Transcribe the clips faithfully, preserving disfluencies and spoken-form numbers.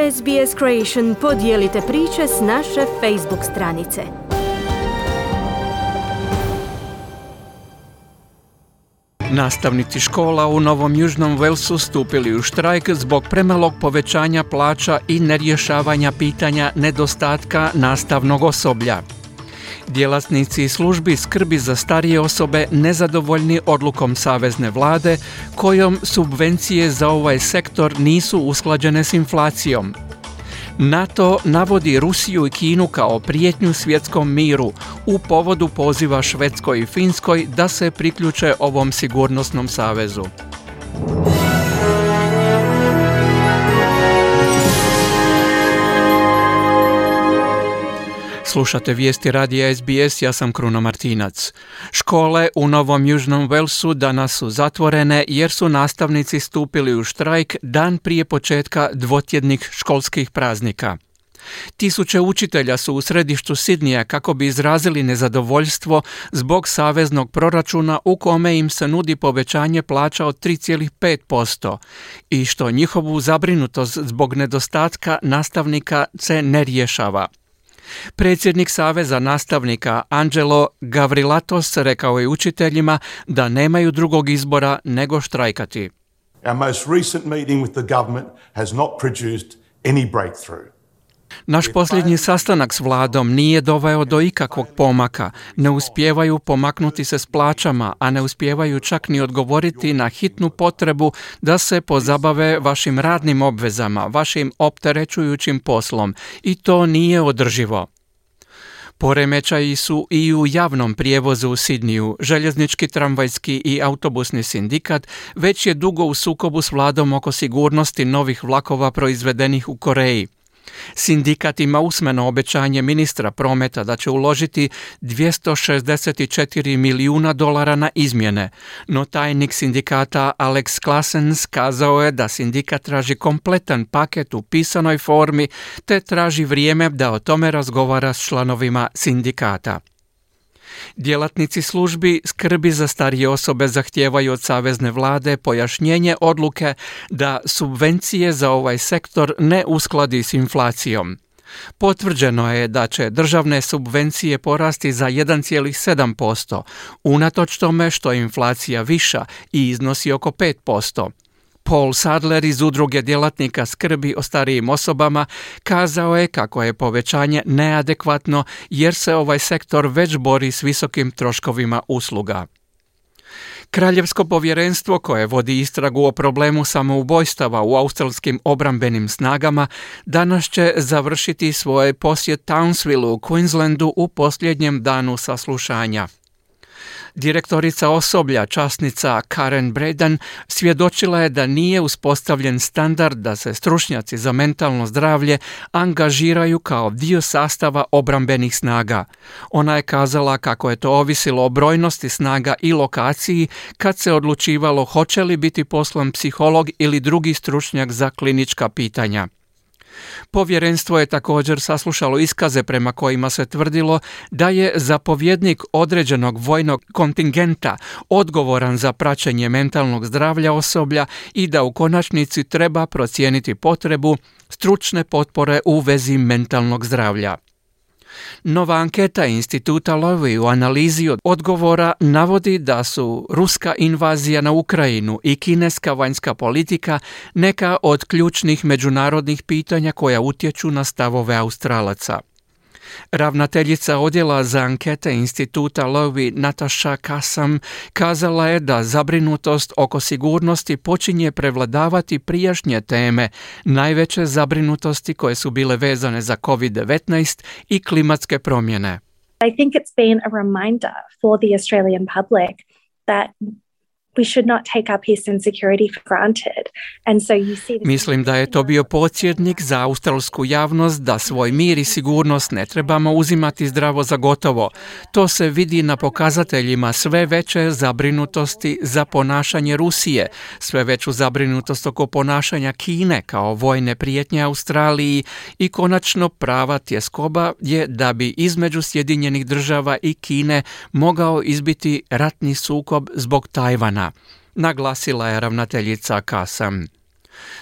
S B S Creation podijelite priče s naše Facebook stranice. Nastavnici škola u Novom Južnom Walesu stupili u štrajk zbog premalog povećanja plaća i nerješavanja pitanja nedostatka nastavnog osoblja. Djelatnici službi skrbi za starije osobe nezadovoljni odlukom savezne vlade kojom subvencije za ovaj sektor nisu usklađene s inflacijom. NATO navodi Rusiju i Kinu kao prijetnju svjetskom miru u povodu poziva Švedskoj i Finskoj da se priključe ovom sigurnosnom savezu. Slušate vijesti radija S B S, ja sam Kruno Martinac. Škole u Novom Južnom Walesu danas su zatvorene jer su nastavnici stupili u štrajk dan prije početka dvotjednih školskih praznika. Tisuće učitelja su u središtu Sidnija kako bi izrazili nezadovoljstvo zbog saveznog proračuna u kome im se nudi povećanje plaća od tri zarez pet posto i što njihovu zabrinutost zbog nedostatka nastavnika se ne rješava. Predsjednik Saveza nastavnika Angelo Gavrilatos rekao je učiteljima da nemaju drugog izbora nego štrajkati. Our most recent meeting with the government has not produced any breakthrough. Naš posljednji sastanak s vladom nije doveo do ikakvog pomaka. Ne uspijevaju pomaknuti se s plaćama, a ne uspijevaju čak ni odgovoriti na hitnu potrebu da se pozabave vašim radnim obvezama, vašim opterećujućim poslom. I to nije održivo. Poremećaji su i u javnom prijevozu u Sidniju. Željeznički, tramvajski i autobusni sindikat već je dugo u sukobu s vladom oko sigurnosti novih vlakova proizvedenih u Koreji. Sindikat ima usmeno obećanje ministra prometa da će uložiti dvjesto šezdeset četiri milijuna dolara na izmjene, no tajnik sindikata Alex Claessens kazao je da sindikat traži kompletan paket u pisanoj formi te traži vrijeme da o tome razgovara s članovima sindikata. Djelatnici službi skrbi za starije osobe zahtijevaju od savezne vlade pojašnjenje odluke da subvencije za ovaj sektor ne uskladi s inflacijom. Potvrđeno je da će državne subvencije porasti za jedan zarez sedam posto, unatoč tome što je inflacija viša i iznosi oko pet posto. Paul Sadler iz udruge djelatnika skrbi o starijim osobama kazao je kako je povećanje neadekvatno jer se ovaj sektor već bori s visokim troškovima usluga. Kraljevsko povjerenstvo koje vodi istragu o problemu samoubojstava u australskim obrambenim snagama danas će završiti svoj posjet Townsvilleu u Queenslandu u posljednjem danu saslušanja. Direktorica osoblja, časnica Karen Braden, svjedočila je da nije uspostavljen standard da se stručnjaci za mentalno zdravlje angažiraju kao dio sastava obrambenih snaga. Ona je kazala kako je to ovisilo o brojnosti snaga i lokaciji kad se odlučivalo hoće li biti poslan psiholog ili drugi stručnjak za klinička pitanja. Povjerenstvo je također saslušalo iskaze prema kojima se tvrdilo da je zapovjednik određenog vojnog kontingenta odgovoran za praćenje mentalnog zdravlja osoblja i da u konačnici treba procijeniti potrebu stručne potpore u vezi mentalnog zdravlja. Nova anketa instituta Lowy u analizi odgovora navodi da su ruska invazija na Ukrajinu i kineska vanjska politika neka od ključnih međunarodnih pitanja koja utječu na stavove Australaca. Ravnateljica odjela za ankete instituta Lowy Natasha Kassam kazala je da zabrinutost oko sigurnosti počinje prevladavati prijašnje teme, najveće zabrinutosti koje su bile vezane za covid devetnaest i klimatske promjene. I think it's been a reminder for the Australian public that we should not take our peace and security for granted. And so you see Mislim da je to bio podsjetnik za australsku javnost da svoj mir i sigurnost ne trebamo uzimati zdravo za gotovo. To se vidi na pokazateljima sve veće zabrinutosti za ponašanje Rusije, sve veću zabrinutost oko ponašanja Kine kao vojne prijetnje Australiji i konačno prava tjeskoba je da bi između Sjedinjenih država i Kine mogao izbiti ratni sukob zbog Tajvana, naglasila je ravnateljica Kassam.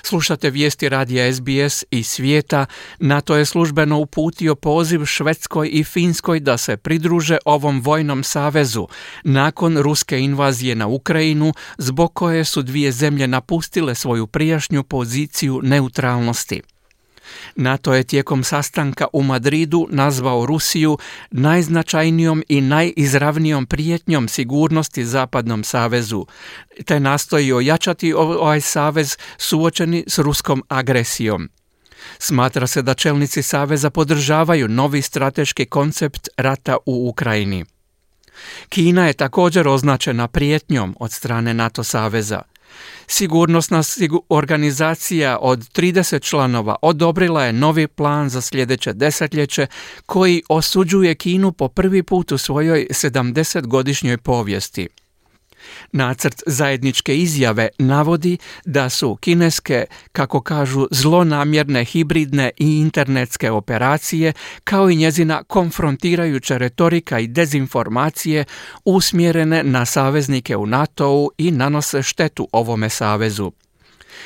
Slušate vijesti radija S B S iz svijeta. NATO je službeno uputio poziv Švedskoj i Finskoj da se pridruže ovom vojnom savezu nakon ruske invazije na Ukrajinu, zbog koje su dvije zemlje napustile svoju prijašnju poziciju neutralnosti. NATO je tijekom sastanka u Madridu nazvao Rusiju najznačajnijom i najizravnijom prijetnjom sigurnosti Zapadnom savezu, te nastoji ojačati ovaj savez suočeni s ruskom agresijom. Smatra se da čelnici saveza podržavaju novi strateški koncept rata u Ukrajini. Kina je također označena prijetnjom od strane NATO saveza. Sigurnosna organizacija od trideset članova odobrila je novi plan za sljedeće desetljeće koji osuđuje Kinu po prvi put u svojoj sedamdesetgodišnjoj povijesti. Nacrt zajedničke izjave navodi da su kineske, kako kažu, zlonamjerne hibridne i internetske operacije, kao i njezina konfrontirajuća retorika i dezinformacije usmjerene na saveznike u NATO-u i nanose štetu ovome savezu.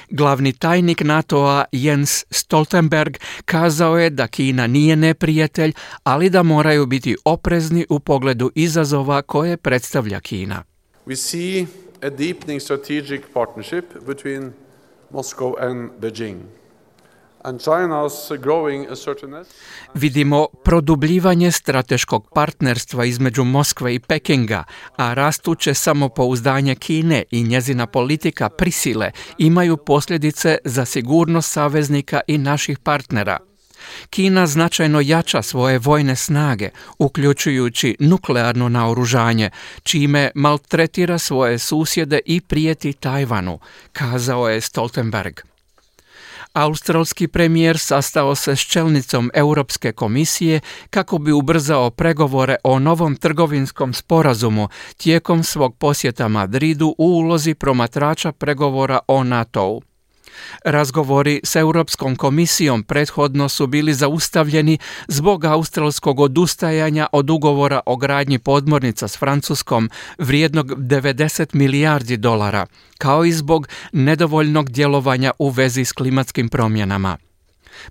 Glavni tajnik NATO-a Jens Stoltenberg kazao je da Kina nije neprijatelj, ali da moraju biti oprezni u pogledu izazova koje predstavlja Kina. We see a deepening strategic partnership between Moscow and Beijing. And China's growing assertiveness. Vidimo produbljivanje strateškog partnerstva između Moskve i Pekinga, a rastuće samopouzdanje Kine i njezina politika prisile imaju posljedice za sigurnost saveznika i naših partnera. Kina značajno jača svoje vojne snage, uključujući nuklearno naoružanje, čime maltretira svoje susjede i prijeti Tajvanu, kazao je Stoltenberg. Australski premijer sastao se s čelnicom Europske komisije kako bi ubrzao pregovore o novom trgovinskom sporazumu tijekom svog posjeta Madridu u ulozi promatrača pregovora o NATO-u. Razgovori s Europskom komisijom prethodno su bili zaustavljeni zbog australskog odustajanja od ugovora o gradnji podmornica s Francuskom vrijednog devedeset milijardi dolara, kao i zbog nedovoljnog djelovanja u vezi s klimatskim promjenama.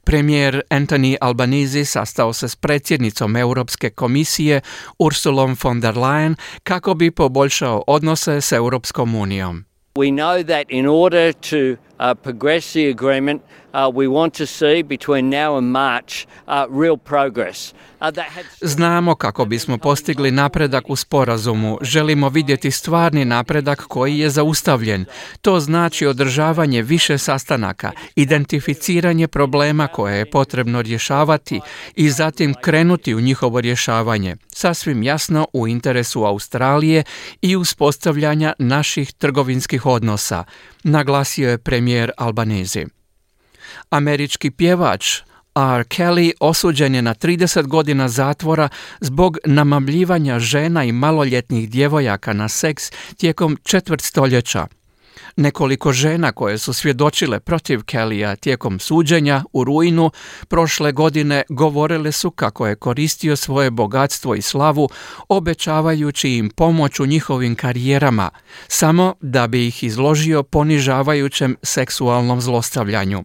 Premijer Anthony Albanese sastao se s predsjednicom Europske komisije Ursulom von der Leyen kako bi poboljšao odnose s Europskom unijom. We know that in order to uh, progress the agreement, uh, we want to see between now and March uh, real progress. Uh, that had... Znamo kako bismo postigli napredak u sporazumu. Želimo vidjeti stvarni napredak koji je zaustavljen. To znači održavanje više sastanaka, identificiranje problema koje je potrebno rješavati i zatim krenuti u njihovo rješavanje. Sasvim jasno u interesu Australije i uspostavljanja naših trgovinskih odnosa, naglasio je premijer Albanese. Američki pjevač R. Kelly osuđen je na trideset godina zatvora zbog namamljivanja žena i maloljetnih djevojaka na seks tijekom četvrt stoljeća. Nekoliko žena koje su svjedočile protiv Kellya tijekom suđenja u rujnu prošle godine govorile su kako je koristio svoje bogatstvo i slavu, obećavajući im pomoć u njihovim karijerama, samo da bi ih izložio ponižavajućem seksualnom zlostavljanju.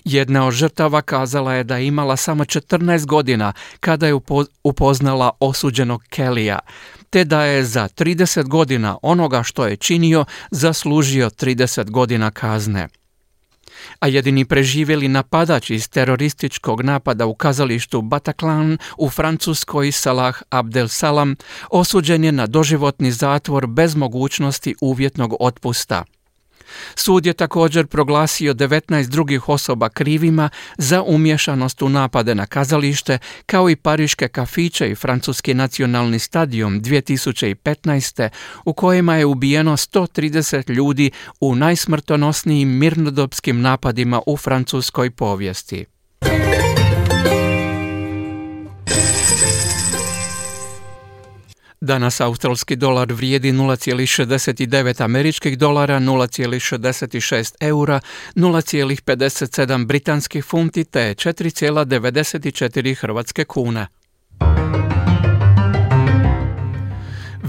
Jedna od žrtava kazala je da je imala samo četrnaest godina kada je upoznala osuđenog Kellya, te da je za trideset godina onoga što je činio zaslužio trideset godina kazne. A jedini preživjeli napadač iz terorističkog napada u kazalištu Bataclan u Francuskoj, Salah Abdel Salam, osuđen je na doživotni zatvor bez mogućnosti uvjetnog otpusta. Sud je također proglasio devetnaest drugih osoba krivima za umješanost u napade na kazalište, kao i pariške kafiće i francuski nacionalni stadion dvije tisuće petnaeste. u kojima je ubijeno sto trideset ljudi u najsmrtonosnijim mirnodopskim napadima u francuskoj povijesti. Danas australski dolar vrijedi nula zarez šezdeset devet američkih dolara, nula zarez šezdeset šest eura, nula zarez pedeset sedam britanskih funti te četiri zarez devedeset četiri hrvatske kune.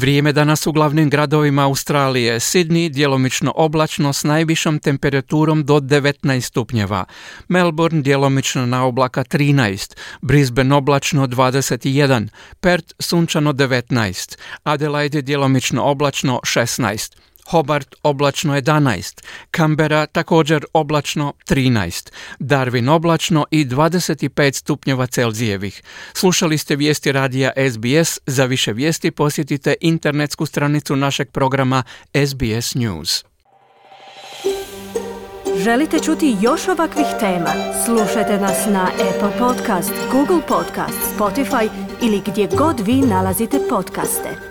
Vrijeme danas u glavnim gradovima Australije: Sydney djelomično oblačno s najvišom temperaturom do devetnaest stupnjeva, Melbourne djelomično na oblaka trinaest, Brisbane oblačno dvadeset jedan, Perth sunčano devetnaest, Adelaide djelomično oblačno šesnaest, Hobart oblačno jedanaest, Canberra također oblačno trinaest, Darwin oblačno i dvadeset pet stupnjeva Celzijevih. Slušali ste vijesti radija S B S. Za više vijesti posjetite internetsku stranicu našeg programa S B S News. Želite čuti još ovakvih tema? Slušajte nas na Apple Podcast, Google Podcast, Spotify ili gdje god vi nalazite podcaste.